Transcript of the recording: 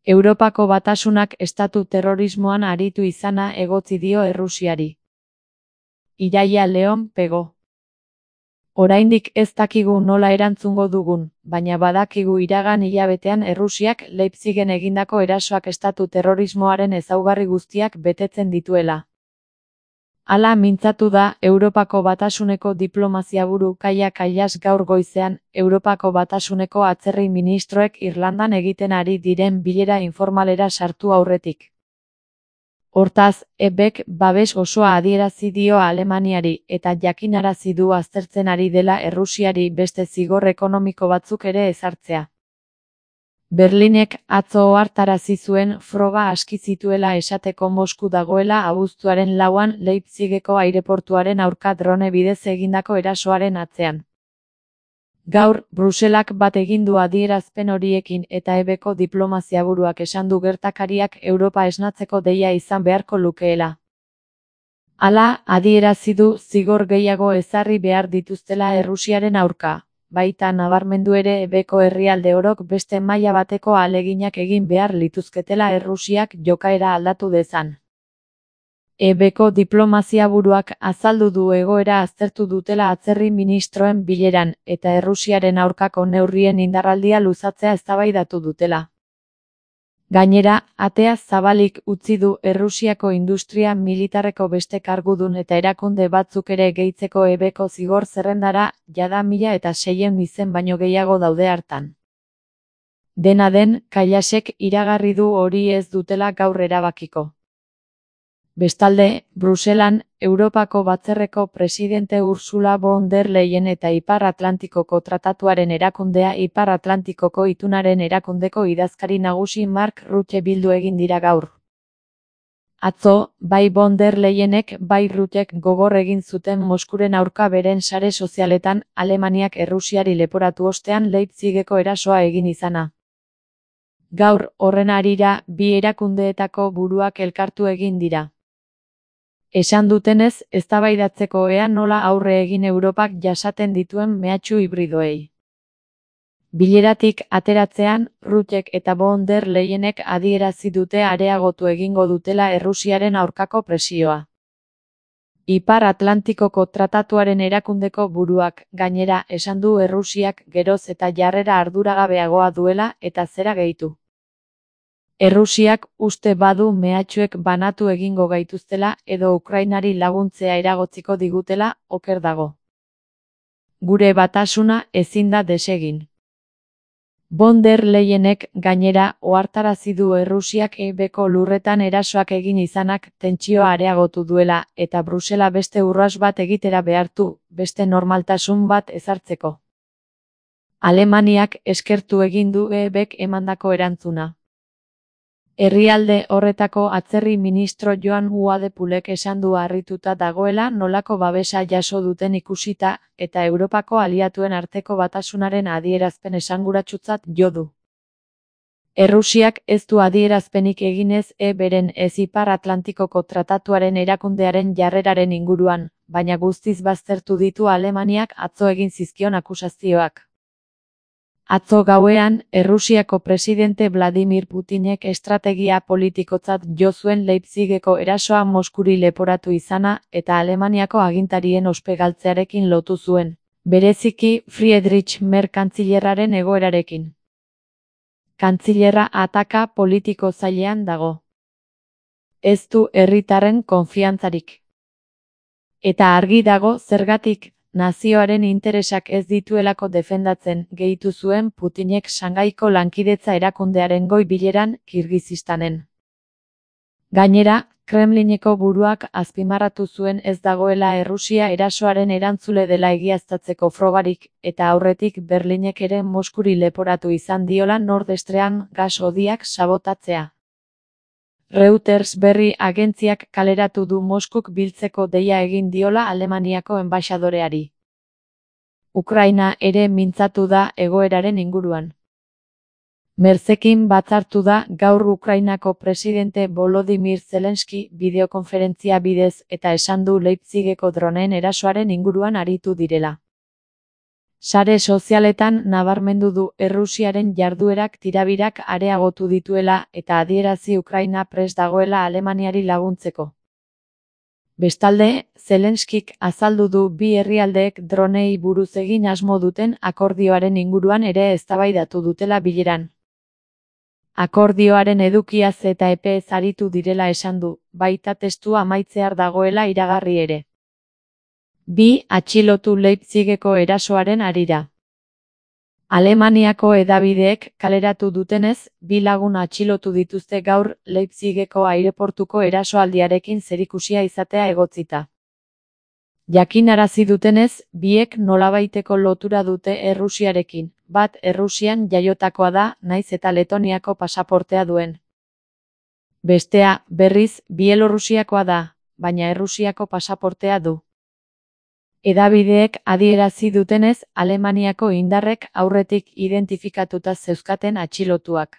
Europako Batasunak estatu terrorismoan aritu izana egotzi dio Errusiari. Iraia Leon Pego. Oraindik ez dakigu nola erantzungo dugun, baina badakigu iragan hilabetean Errusiak Leipzigen egindako erasoak estatu terrorismoaren ezaugarri guztiak betetzen dituela. Hala mintzatu da Europako Batasuneko diplomaziaburu Kaja Kallas gaur goizean, Europako Batasuneko atzerri ministroek Irlandan egiten ari diren bilera informalera sartu aurretik. Hortaz, EBek babes osoa adierazi dio Alemaniari eta jakinarazi du aztertzen ari dela Errusiari beste zigor ekonomiko batzuk ere ezartzea. Berlinek atzo ohartarazi zuen froga aski zituela esateko Mosku dagoela abuztuaren 4an Leipzigeko aireportuaren aurka drone bidez egindako erasoaren atzean. Gaur, Bruselak bat egin du adierazpen horiekin eta EBko diplomaziaburuak esan du gertakariak Europa esnatzeko deia izan beharko lukeela. Hala, adierazi du zigor gehiago ezarri behar dituztela Errusiaren aurka. Baita nabarmendu ere EBko herrialde orok beste maila bateko ahaleginak egin behar lituzketela Errusiak jokaera aldatu dezan. EBko diplomaziaburuak azaldu du egoera aztertu dutela atzerri ministroen bileran eta Errusiaren aurkako neurrien indarraldia luzatzea eztabaidatu dutela. Gainera, atea zabalik utzi du Errusiako industria militarreko beste kargudun eta erakunde batzuk ere gehitzeko EBko zigor zerrendara, jada 1600 izen baino gehiago daude hartan. Dena den, Kallasek iragarri du hori ez dutela gaur erabakiko. Bestalde, Bruselan, Europako Batzarreko presidente Ursula von der Leyen eta Ipar Atlantikoko Tratatuaren erakundea Ipar Atlantikoko itunaren erakundeko idazkari nagusi Mark Rutte bildu egin dira gaur. Atzo, bai von der Leyenek bai Ruttek gogor egin zuten Moskuren aurka beren sare sozialetan Alemaniak Errusiari leporatu ostean Leipzigeko erasoa egin izana. Gaur, horren harira, bi erakundeetako buruak elkartu egin dira. Esan dutenez, eztabaidatzeko ea nola aurre egin Europak jasaten dituen mehatxu hibridoei. Bileratik ateratzean, Ruttek eta von der Leyenek adierazi dute areagotu egingo dutela Errusiaren aurkako presioa. Ipar Atlantikoko Tratatuaren erakundeko buruak, gainera, esan du Errusiak geroz eta jarrera arduragabeagoa duela eta zera gehitu. Errusiak uste badu mehatxuek banatu egingo gaituztela edo Ukrainari laguntzea eragotziko digutela, oker dago. Gure batasuna ezin da desegin. Von der Leyenek gainera ohartarazi du Errusiak EBko lurretan erasoak egin izanak tentsioa areagotu duela eta Brusela beste urrats bat egitera behartu, beste normaltasun bat ezartzeko. Alemaniak eskertu egin du EBek emandako erantzuna. Herrialde horretako atzerri ministro Joan Uadepulek esan du harrituta dagoela nolako babesa jaso duten ikusita eta Europako aliatuen arteko batasunaren adierazpen esanguratsutzat jo du. Errusiak ez du adierazpenik eginez beren ez Ipar Atlantikoko Tratatuaren erakundearen jarreraren inguruan, baina guztiz baztertu ditu Alemaniak atzo egin zizkion akusazioak. Atzo gauean, Errusiako presidente Vladimir Putinek estrategia politikotzat jo zuen Leipzigeko erasoa Moskuri leporatu izana eta Alemaniako agintarien ospe-galtzearekin lotu zuen, bereziki Friedrich Merz kantzilerraren egoerarekin. Kantzilerra ataka politiko zailean dago. Ez du herritarren konfiantzarik. Eta argi dago zergatik, nazioaren interesak ez dituelako defendatzen, gehitu zuen Putinek Shangaiko lankidetza erakundearen goi bileran Kirgizistanen. Gainera, Kremlineko buruak azpimarratu zuen ez dagoela Errusia erasoaren erantzule dela egiaztatzeko frogarik, eta aurretik Berlinek ere Moskuri leporatu izan diola Nord Stream gas hodiak sabotatzea. Reuters berri agentziak kaleratu du Moskuk biltzeko deia egin diola Alemaniako enbaxadoreari. Ukraina ere mintzatu da egoeraren inguruan. Merzekin batzartu da gaur Ukrainako presidente Volodymyr Zelensky bideokonferentzia bidez eta esan du Leipzigeko droneen erasoaren inguruan aritu direla. Sare sozialetan nabarmendu du Errusiaren jarduerak tirabirak areagotu dituela eta adierazi Ukraina prest dagoela Alemaniari laguntzeko. Bestalde, Zelenskik azaldu du bi herrialdeek dronei buruz egin asmo duten akordioaren inguruan ere eztabaidatu dutela bileran. Akordioaren edukiaz eta epeez aritu direla esan du, baita testua amaitzear dagoela iragarri ere. Bi atxilotu Leipzigeko erasoaren harira. Alemaniako hedabideek kaleratu dutenez, bi lagun atxilotu dituzte gaur Leipzigeko aireportuko erasoaldiarekin zerikusia izatea egotzita. Jakinarazi dutenez, biek nolabaiteko lotura dute Errusiarekin, bat Errusian jaiotakoa da, nahiz eta Letoniako pasaportea duen. Bestea, berriz, Bielorrusiakoa da, baina Errusiako pasaportea du. Hedabideek adierazi dutenez, Alemaniako indarrek aurretik identifikatuta zeuzkaten atxilotuak.